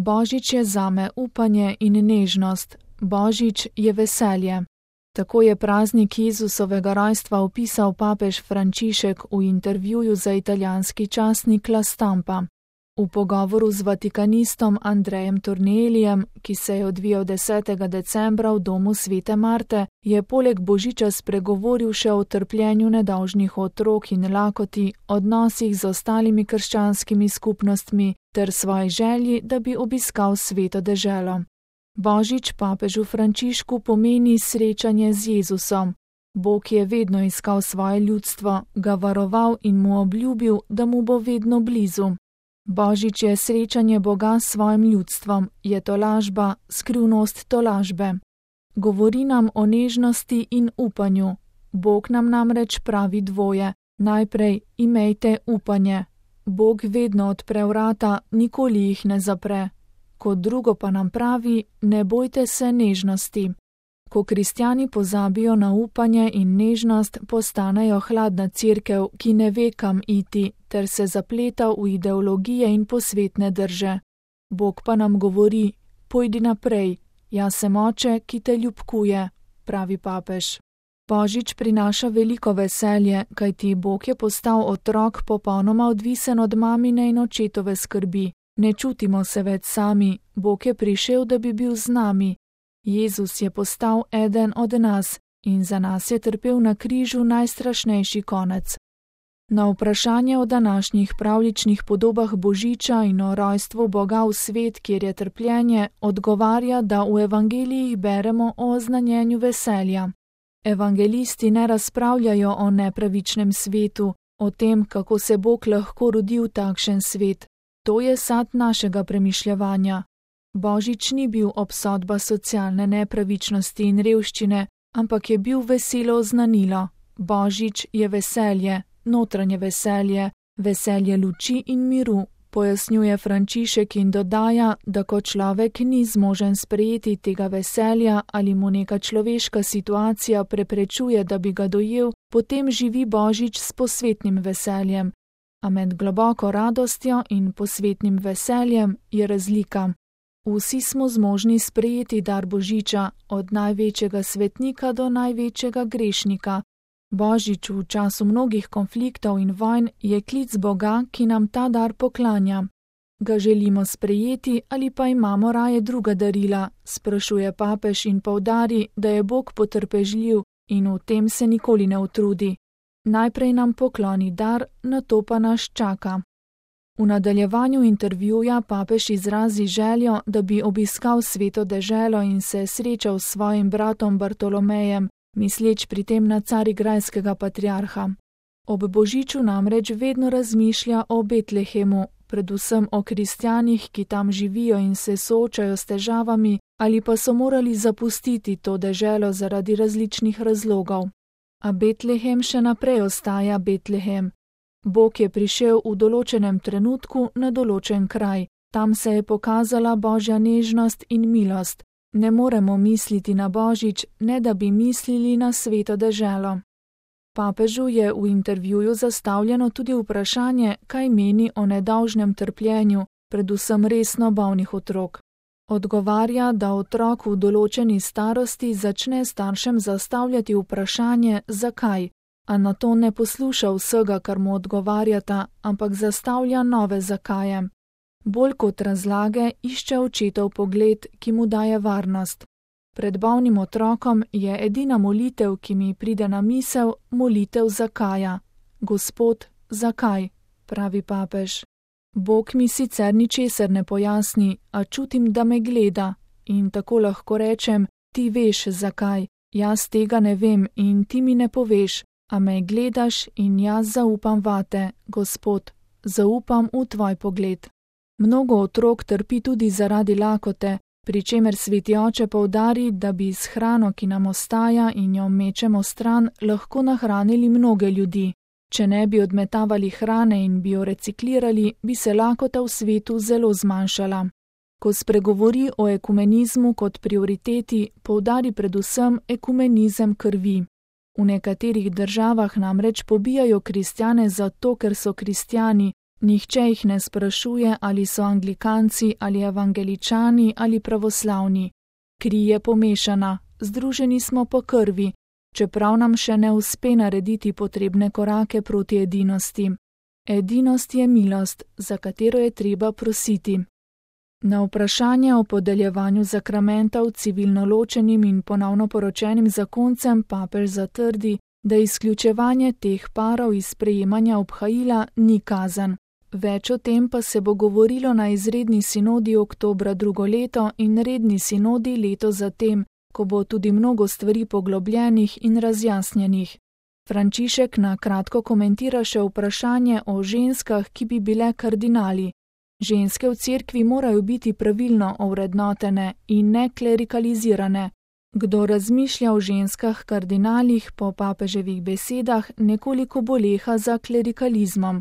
Božič je zame upanje in nežnost, Božič je veselje. Tako je praznik Jezusovega rojstva opisal papež Frančišek v intervjuju za italijanski časnik La Stampa. V pogovoru z vatikanistom Andrejem Tornielijem, ki se je odvijal 10. decembra v domu Svete Marte, je poleg Božiča spregovoril še o trpljenju nedolžnih otrok in lakoti, odnosih z ostalimi krščanskimi skupnostmi ter svoji želji, da bi obiskal sveto deželo. Božič papežu Frančišku pomeni srečanje z Jezusom. Bog je vedno iskal svoje ljudstvo, ga varoval in mu obljubil, da mu bo vedno blizu. Božič je srečanje Boga s svojim ljudstvom, je tolažba, skrivnost tolažbe. Govori nam o nežnosti in upanju. Bog nam namreč pravi dvoje. Najprej imejte upanje. Bog vedno odpre vrata, nikoli jih ne zapre. Kot drugo pa nam pravi, ne bojte se nežnosti. Ko kristjani pozabijo na upanje in nežnost, postanejo hladna cerkev, ki ne ve, kam iti, ter se zapleta v ideologije in posvetne drže. Bog pa nam govori, pojdi naprej, jaz sem oče, ki te ljubkuje, pravi papež. Božič prinaša veliko veselje, kajti Bog je postal otrok popolnoma odvisen od mamine in očetove skrbi. Ne čutimo se več sami, Bog je prišel, da bi bil z nami. Jezus je postal eden od nas in za nas je trpel na križu najstrašnejši konec. Na vprašanje o današnjih pravljičnih podobah Božiča in o rojstvu Boga v svet, kjer je trpljenje, odgovarja, da v evangelijih beremo o oznanjenju veselja. Evangelisti ne razpravljajo o nepravičnem svetu, o tem, kako se Bog lahko rodi v takšen svet. To je sad našega premišljevanja. Božič ni bil obsodba socialne nepravičnosti in revščine, ampak je bil veselo oznanilo. Božič je veselje, notranje veselje, veselje luči in miru, pojasnjuje Frančišek in dodaja, da ko človek ni zmožen sprejeti tega veselja ali mu neka človeška situacija preprečuje, da bi ga dojel, potem živi Božič s posvetnim veseljem. A med globoko radostjo in posvetnim veseljem je razlika. Vsi smo zmožni sprejeti dar Božiča, od največjega svetnika do največjega grešnika. Božič v času mnogih konfliktov in vojn je klic Boga, ki nam ta dar poklanja. Ga želimo sprejeti ali pa imamo raje druga darila, sprašuje papež in poudari, da je Bog potrpežljiv in v tem se nikoli ne utrudi. Najprej nam pokloni dar, nato pa nas čaka. V nadaljevanju intervjuja papež izrazi željo, da bi obiskal sveto deželo in se srečal s svojim bratom Bartolomejem, misleč pri tem na carigrajskega patriarha. Ob Božiču namreč vedno razmišlja o Betlehemu, predvsem o kristjanih, ki tam živijo in se soočajo s težavami ali pa so morali zapustiti to deželo zaradi različnih razlogov. A Betlehem še naprej ostaja Betlehem. Bog je prišel v določenem trenutku na določen kraj. Tam se je pokazala Božja nežnost in milost. Ne moremo misliti na Božič, ne da bi mislili na sveto deželo. Papežu je v intervjuju zastavljeno tudi vprašanje, kaj meni o nedolžnem trpljenju, predvsem resno bolnih otrok. Odgovarja, da otrok v določeni starosti začne staršem zastavljati vprašanje, zakaj, a na to ne posluša vsega, kar mu odgovarjata, ampak zastavlja nove zakaje. Bolj kot razlage išče očetov pogled, ki mu daje varnost. Pred bolnim otrokom je edina molitev, ki mi pride na misel, molitev zakaja. Gospod, zakaj? Pravi papež. Bog mi sicer ničesar ne pojasni, a čutim, da me gleda in tako lahko rečem, ti veš zakaj, jaz tega ne vem in ti mi ne poveš, a me gledaš in jaz zaupam vate, Gospod, zaupam v tvoj pogled. Mnogo otrok trpi tudi zaradi lakote, pri čemer sveti oče poudari, da bi s hrano, ki nam ostaja in jo mečemo stran, lahko nahranili mnoge ljudi. Če ne bi odmetavali hrane in bi jo reciklirali, bi se lakota v svetu zelo zmanjšala. Ko spregovori o ekumenizmu kot prioriteti, poudari predvsem ekumenizem krvi. V nekaterih državah namreč pobijajo kristjane zato, ker so kristjani, Nihče jih ne sprašuje, ali so anglikanci ali evangeličani ali pravoslavni. Kri je pomešana, združeni smo po krvi, čeprav nam še ne uspe narediti potrebne korake proti edinosti. Edinost je milost, za katero je treba prositi. Na vprašanje o podeljevanju zakramentov civilno ločenim in ponovno poročenim zakoncem papež zatrdi, da izključevanje teh parov iz sprejemanja obhajila ni kazen. Več o tem pa se bo govorilo na izredni sinodi oktobra drugo leto in redni sinodi leto zatem, ko bo tudi mnogo stvari poglobljenih in razjasnjenih. Frančišek na kratko komentira še vprašanje o ženskah, ki bi bile kardinali. Ženske v cerkvi morajo biti pravilno ovrednotene in ne klerikalizirane. Kdo razmišlja o ženskah kardinalih po papeževih besedah, nekoliko boleha za klerikalizmom.